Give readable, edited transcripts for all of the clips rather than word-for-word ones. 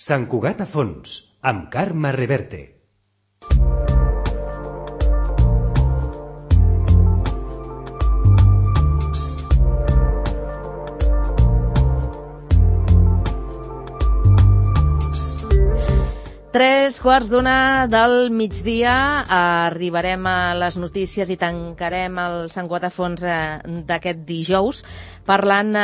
Sant Cugat a fons, amb Carme Reverte. Tres quarts d'una del migdia, arribarem a les notícies i tancarem el Sant Cugat a fons d'aquest dijous parlant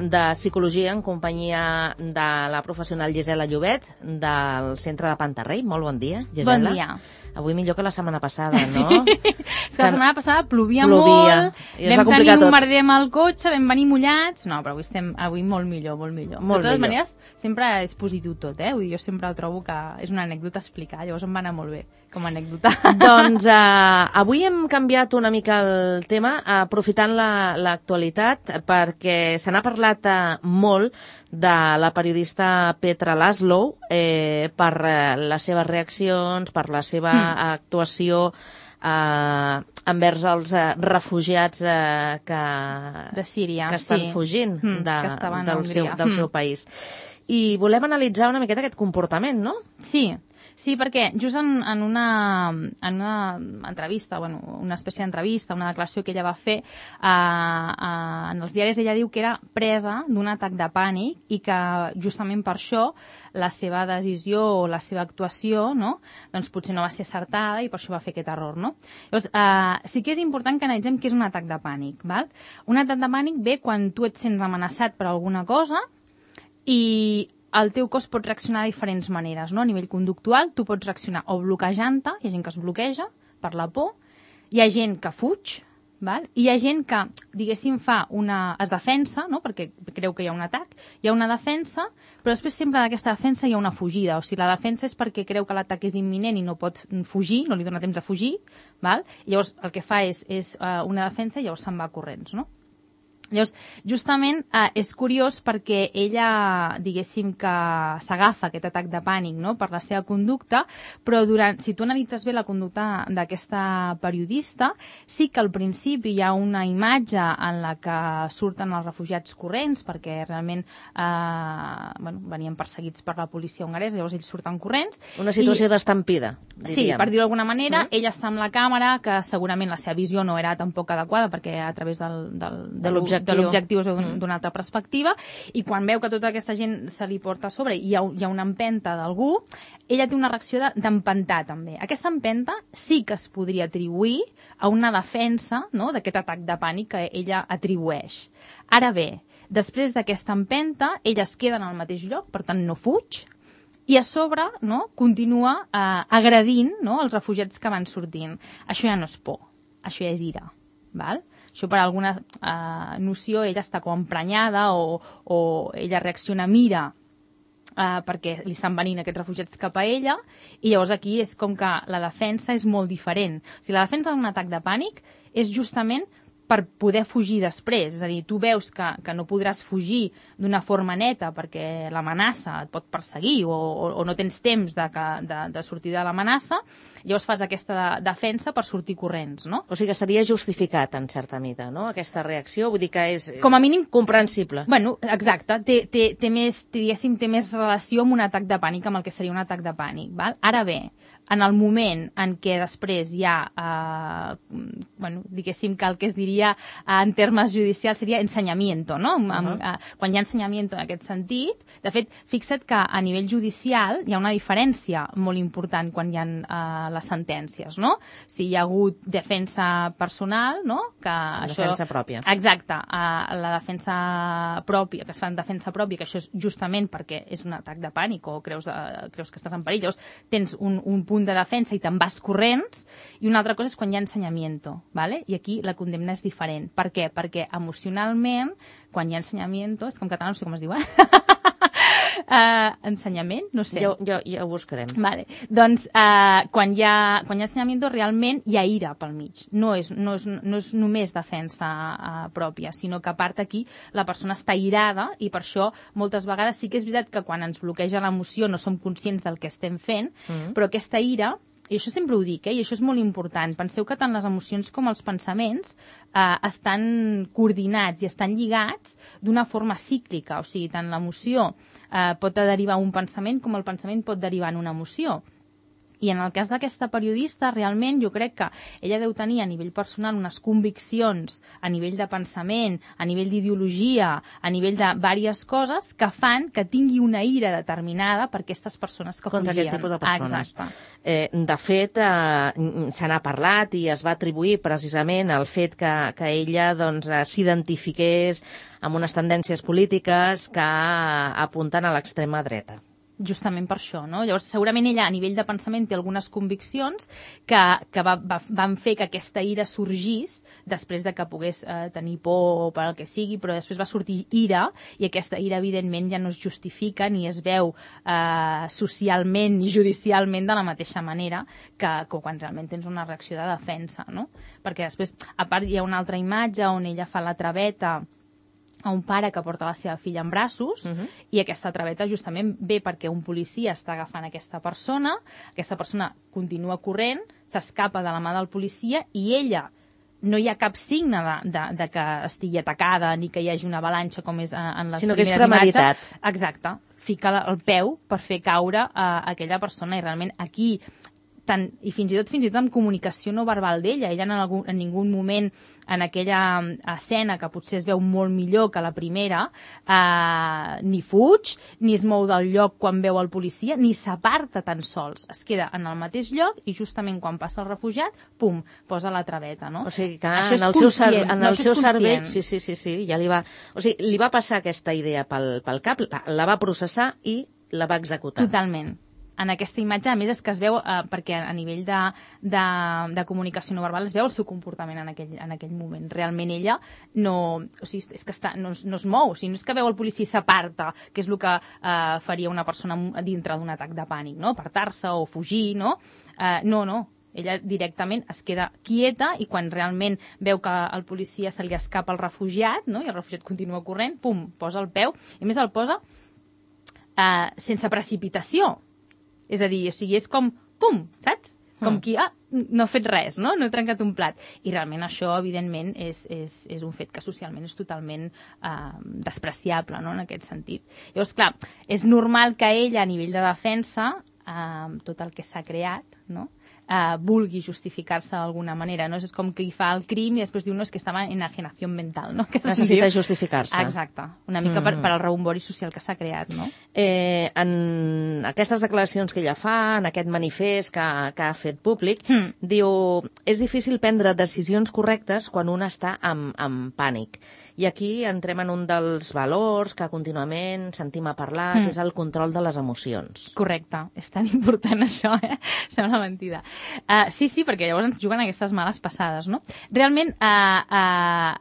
de psicologia en companyia de la professional Gisela Llobet del Centre de Pantarrey. Molt bon dia, Gisela. Bon dia. Avui millor que la setmana passada, no? Sí. És que la setmana passada plovia molt, vam tenir un merder amb el cotxe, vam venir mullats. No, però avui molt millor, molt millor. De totes maneres, sempre és positiu tot, Vull dir, jo sempre trobo que és una anècdota a explicar, llavors em va anar molt bé com a anècdota. Doncs avui hem canviat una mica el tema, aprofitant l'actualitat, perquè se n'ha parlat molt de la periodista Petra Laszlo per les seves reaccions, per la seva actuació envers els refugiats de Síria, que estan fugint del seu país. I volem analitzar una miqueta aquest comportament, no? Sí, perquè just en una entrevista, una espècie d'entrevista, una declaració que ella va fer en els diaris, ella diu que era presa d'un atac de pànic i que justament per això la seva decisió o la seva actuació, no? Doncs potser no va ser acertada i per això va fer aquest error, no? Llavors, sí que és important que analitzem què és un atac de pànic, val? Un atac de pànic ve quan tu et sents amenaçat per alguna cosa i el teu cos pot reaccionar de diferents maneres, no? A nivell conductual, tu pots reaccionar o bloquejant-te, hi ha gent que es bloqueja per la por, hi ha gent que fuig, val? I hi ha gent que, diguéssim, es defensa, no? Perquè creu que hi ha un atac, hi ha una defensa, però després sempre d'aquesta defensa hi ha una fugida, o sigui, la defensa és perquè creu que l'atac és imminent i no pot fugir, no li dona temps a fugir, val? I llavors el que fa és una defensa i llavors se'n va corrents, no? Llavors, justament és curiós perquè ella, diguéssim, que s'agafa aquest atac de pànic, no?, per la seva conducta, però si tu analitzes bé la conducta d'aquesta periodista, sí que al principi hi ha una imatge en la que surten els refugiats corrents, perquè realment venien perseguits per la policia hongaresa, llavors ells surten corrents. Una situació d'estampida, diríem. Sí, per dir-ho d'alguna manera, ella està amb la càmera, que segurament la seva visió no era tampoc adequada, perquè a través de l'objectiu és d'una altra perspectiva, i quan veu que tota aquesta gent se li porta a sobre i hi ha una empenta d'algú, ella té una reacció d'empentar també. Aquesta empenta sí que es podria atribuir a una defensa, no?, d'aquest atac de pànic que ella atribueix. Ara bé, després d'aquesta empenta, ella es queda en el mateix lloc, per tant no fuig, i a sobre, no?, continua agredint, no?, els refugiats que van sortint. Això ja no és por, això ja és ira, val? Això per alguna noció ella està com emprenyada o ella reacciona amb ira perquè li estan venint aquests refugiats cap a ella, i llavors aquí és com que la defensa és molt diferent. O sigui, la defensa d'un atac de pànic és justament per poder fugir després. És a dir, tu veus que no podràs fugir d'una forma neta perquè l'amenaça et pot perseguir o no tens temps de sortir de l'amenaça, llavors fas aquesta defensa per sortir corrents, no? O sigui que estaria justificat, en certa mida, no?, aquesta reacció, vull dir que és com a mínim comprensible. Bueno, exacte, té més relació amb un atac de pànic, amb el que seria un atac de pànic, val? Ara bé, en el moment en què després hi ha, diguéssim que el que es diria en termes judicials seria ensenyamiento, no? Quan hi ha ensenyamiento en aquest sentit, de fet, fixa't que a nivell judicial hi ha una diferència molt important quan hi ha les sentències, no? Si hi ha hagut defensa personal, no? Defensa pròpia. Exacte, la defensa pròpia, que es fa en defensa pròpia, que això és justament perquè és un atac de pànic o creus que estàs en perill, llavors tens un punt de defensa i te'n vas corrents, i una altra cosa és quan hi ha ensenyamiento, ¿vale? I aquí la condemna és diferent. Per què? Perquè emocionalment, quan hi ha ensenyamiento, és que en català no sé com es diu, ensenyament, no sé. Ja ho buscarem. Vale. Doncs quan hi ha ensenyamiento realment hi ha ira pel mig. No és només defensa pròpia, sinó que a part aquí la persona està irada, i per això moltes vegades sí que és veritat que quan ens bloqueja l'emoció no som conscients del que estem fent, però aquesta ira i això sempre ho dic, i això és molt important, penseu que tant les emocions com els pensaments estan coordinats i estan lligats d'una forma cíclica, o sigui, tant l'emoció pot derivar un pensament com el pensament pot derivar en una emoció. I en el cas d'aquesta periodista, realment jo crec que ella deu tenir a nivell personal unes conviccions a nivell de pensament, a nivell d'ideologia, a nivell de diverses coses que fan que tingui una ira determinada per aquestes persones que contra fugien. Aquest tipus de persones. Exacte. De fet, se n'ha parlat i es va atribuir precisament el fet que ella doncs, s'identifiqués amb unes tendències polítiques que apunten a l'extrema dreta. Justament per això, no? Llavors, segurament ella, a nivell de pensament, té algunes conviccions que van fer que aquesta ira sorgís després de que pogués tenir por o per el que sigui, però després va sortir ira, i aquesta ira, evidentment, ja no es justifica ni es veu socialment ni judicialment de la mateixa manera que quan realment tens una reacció de defensa, no? Perquè després, a part, hi ha una altra imatge on ella fa la traveta a un pare que porta la seva filla en braços, i aquesta traveta justament ve perquè un policia està agafant aquesta persona continua corrent, s'escapa de la mà del policia i ella no hi ha cap signe de que estigui atacada ni que hi hagi una avalanxa com és en les sinó que primeres és premeditat. imatges. Exacte. Fica el peu per fer caure aquella persona, i realment aquí i fins i tot amb comunicació no verbal d'ella. Ella en ningú moment en aquella escena, que potser es veu molt millor que la primera, ni fuig, ni es mou del lloc quan veu el policia, ni s'aparta tan sols. Es queda en el mateix lloc i justament quan passa el refugiat, pum, posa la traveta, no? O sigui que això en el seu cervell, sí, ja li va... O sigui, li va passar aquesta idea pel cap, la va processar i la va executar. Totalment. En aquesta imatge, a més, és que es veu, perquè a nivell de comunicació no verbal es veu el seu comportament en aquell moment. Realment ella no es mou, o sigui, no és que veu el policia i s'aparta, que és el que faria una persona dintre d'un atac de pànic, no? Apartar-se o fugir, no? No. Ella directament es queda quieta i quan realment veu que al policia se li escapa el refugiat, no? I el refugiat continua corrent, pum, posa el peu, i a més el posa sense precipitació. És a dir, o sigui, és com, pum, saps? Com qui, no ha fet res, no? No he trencat un plat. I realment això, evidentment, és un fet que socialment és totalment despreciable, no?, en aquest sentit. Llavors, clar, és normal que ella, a nivell de defensa, tot el que s'ha creat, no?, vulgui justificar-se d'alguna manera, no? És com que fa el crim i després diu, no, és que estava en enajenació mental, no? Que necessita justificar-se. Exacte, una mica per al rebombori social que s'ha creat, no? En aquestes declaracions que ella fa, en aquest manifest que ha fet públic, diu, és difícil prendre decisions correctes quan un està en pànic. I aquí entrem en un dels valors que continuament sentim a parlar, que és el control de les emocions. Correcte, és tan important això, sembla mentida. Sí, perquè llavors ens juguen aquestes males passades, no? Realment,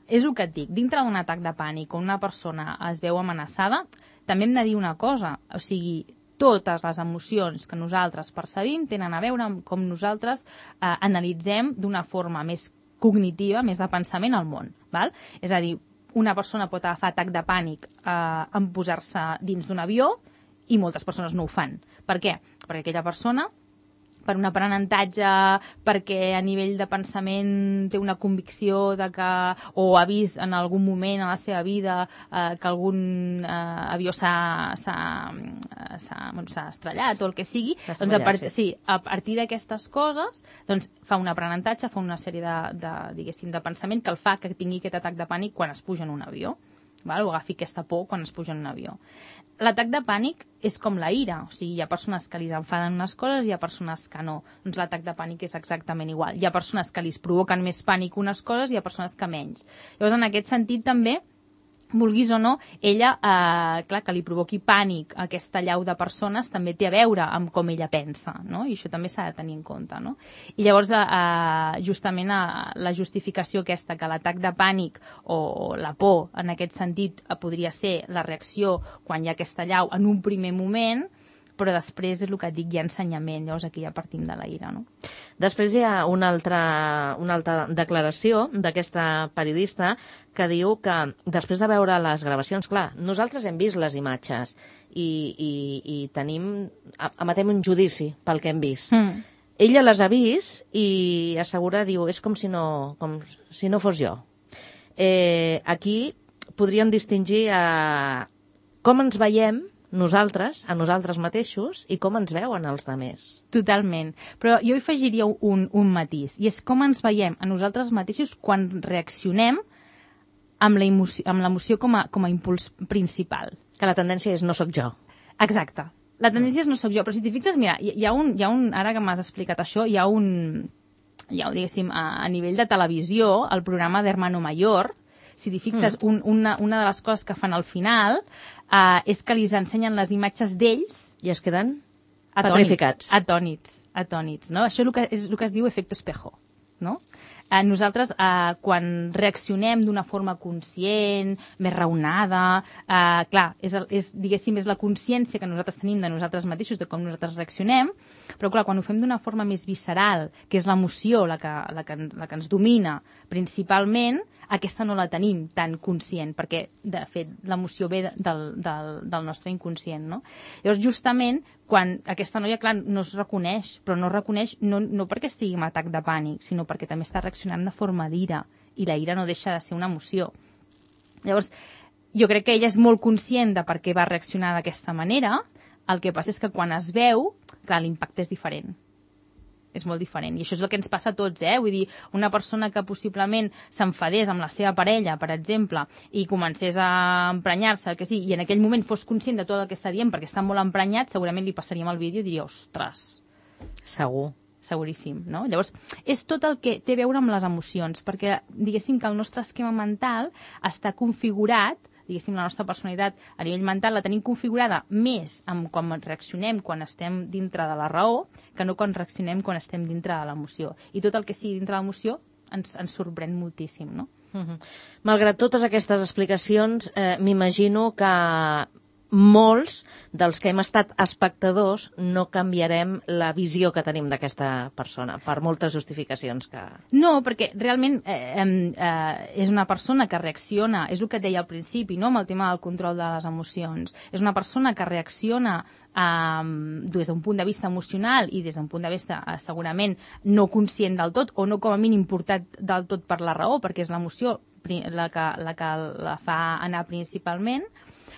és el que et dic, dintre d'un atac de pànic on una persona es veu amenaçada, també hem de dir una cosa, o sigui, totes les emocions que nosaltres percebim tenen a veure amb com nosaltres analitzem d'una forma més cognitiva, més de pensament al món, val? És a dir, una persona pot agafar atac de pànic en posar-se dins d'un avió i moltes persones no ho fan. Per què? Perquè aquella persona, per un aprenentatge, perquè a nivell de pensament té una convicció de que, o ha vist en algun moment a la seva vida que algun avió s'ha estrellat o el que sigui, doncs a partir d'aquestes coses doncs fa un aprenentatge, fa una sèrie de pensament que el fa que tingui aquest atac de pànic quan es puja en un avió, val? O agafi aquesta por quan es puja en un avió. L'atac de pànic és com la ira, o sigui, hi ha persones que li enfaden unes coses i hi ha persones que no. Doncs l'atac de pànic és exactament igual. Hi ha persones que li provoquen més pànic unes coses i hi ha persones que menys. Llavors, en aquest sentit, també, vulguis o no, ella, clar, que li provoqui pànic a aquesta allau de persones també té a veure amb com ella pensa, no? I això també s'ha de tenir en compte, no? I llavors, justament, la justificació aquesta, que l'atac de pànic o la por, en aquest sentit, podria ser la reacció quan hi ha aquesta allau en un primer moment, però després és el que et dic, hi ha ensenyament, llavors aquí ja partim de la ira, no? Després hi ha una altra declaració d'aquesta periodista que diu que després de veure les gravacions, clar, nosaltres hem vist les imatges i emetem un judici pel que hem vist. ella les ha vist i assegura, diu, és com si no fos jo. Aquí podríem distingir com ens veiem nosaltres, a nosaltres mateixos, i com ens veuen els altres. Totalment. Però jo hi afegiria un matís, i és com ens veiem a nosaltres mateixos quan reaccionem amb l'emoció com a impuls principal. Que la tendència és no sóc jo. Exacte. La tendència és no sóc jo, però si t'hi fixes, mira, hi ha un, ara que m'has explicat això, diguéssim, a nivell de televisió, el programa d'Hermano Mayor, si t'hi fixes, una de les coses que fan al final és que li ensenyen les imatges d'ells i es queden petrificats. Atònits, no? Això és el que es diu efecto espejo, no? Nosaltres, quan reaccionem d'una forma conscient, més raonada, clar, diguéssim, és la consciència que nosaltres tenim de nosaltres mateixos, de com nosaltres reaccionem, però clar, quan ho fem d'una forma més visceral, que és l'emoció la que ens domina principalment, aquesta no la tenim tan conscient, perquè, de fet, l'emoció ve del nostre inconscient, no? Llavors, justament, quan aquesta noia, clar, no es reconeix, però no es reconeix no perquè estigui en atac de pànic, sinó perquè també està reaccionant de forma d'ira, i la ira no deixa de ser una emoció. Llavors, jo crec que ella és molt conscient de per què va reaccionar d'aquesta manera, el que passa és que quan es veu, clar, l'impacte és diferent. És molt diferent. I això és el que ens passa a tots, Vull dir, una persona que possiblement s'enfadés amb la seva parella, per exemple, i comencés a emprenyar-se, que sí, i en aquell moment fos conscient de tot el que està dient perquè està molt emprenyat, segurament li passaríem el vídeo i diria, ostres. Segur. Seguríssim, no? Llavors, és tot el que té a veure amb les emocions, perquè diguéssim que el nostre esquema mental està configurat, diguéssim, la nostra personalitat a nivell mental la tenim configurada més amb quan reaccionem quan estem dintre de la raó que no quan reaccionem quan estem dintre de l'emoció. I tot el que sigui dintre de l'emoció ens sorprèn moltíssim, no? Malgrat totes aquestes explicacions, m'imagino que molts dels que hem estat espectadors no canviarem la visió que tenim d'aquesta persona, per moltes justificacions que... No, perquè realment és una persona que reacciona, és el que et deia al principi, no?, amb el tema del control de les emocions. És una persona que reacciona des d'un punt de vista emocional i des d'un punt de vista segurament no conscient del tot o no com a mínim portat del tot per la raó, perquè és l'emoció la que la fa anar principalment,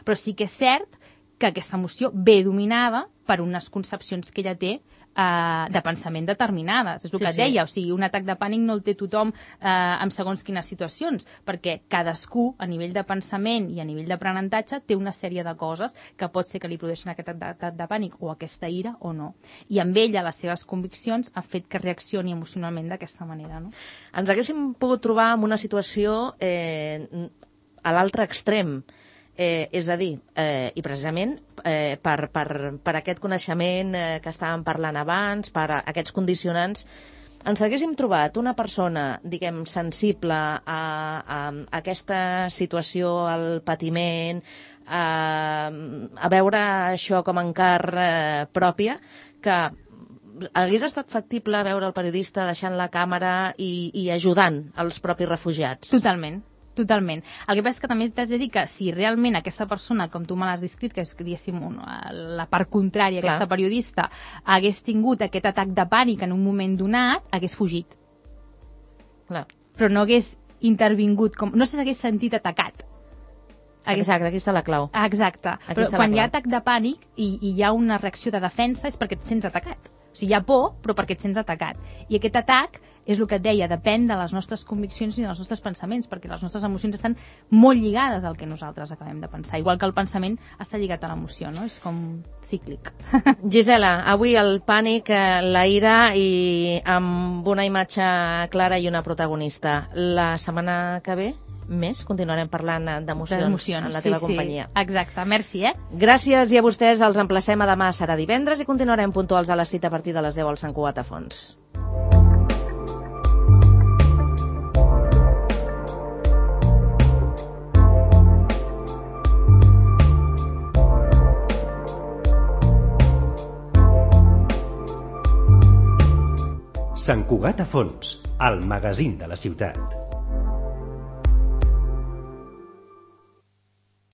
però sí que és cert que aquesta emoció ve dominada per unes concepcions que ella té de pensament determinades. És el que et deia, o sigui, un atac de pànic no el té tothom en segons quines situacions, perquè cadascú, a nivell de pensament i a nivell d'aprenentatge, té una sèrie de coses que pot ser que li produeixin aquest atac de pànic o aquesta ira o no. I amb ella, les seves conviccions, ha fet que reaccioni emocionalment d'aquesta manera, no? Ens haguéssim pogut trobar en una situació a l'altre extrem, és a dir, i precisament per aquest coneixement que estàvem parlant abans, per aquests condicionants, ens haguéssim trobat una persona, diguem, sensible a aquesta situació, al patiment, a veure això com a encart pròpia, que hagués estat factible veure el periodista deixant la càmera i ajudant els propis refugiats. Totalment. Totalment. El que passa és que també t'has de dir que si realment aquesta persona, com tu me l'has descrit, que és, diguéssim, la part contrària, aquesta periodista, hagués tingut aquest atac de pànic en un moment donat, hagués fugit. Clar. Però no hagués intervingut, no s'hagués sentit atacat. Exacte, aquí està la clau. Exacte. Però quan hi ha atac de pànic i hi ha una reacció de defensa és perquè et sents atacat. O sigui, hi ha por, però perquè et sents atacat. I aquest atac és el que et deia, depèn de les nostres conviccions i dels nostres pensaments, perquè les nostres emocions estan molt lligades al que nosaltres acabem de pensar, igual que el pensament està lligat a l'emoció, no? És com cíclic. Gisela, avui el pànic, la ira i amb una imatge clara i una protagonista. La setmana que ve més continuarem parlant d'emocions en la teva companyia. Exacte, merci, Gràcies i a vostès els emplacem a demà, serà divendres i continuarem puntuals a la cita a partir de les 10 al Sant Cugat a Fons. Sant Cugat a Fons, el magazín de la ciutat.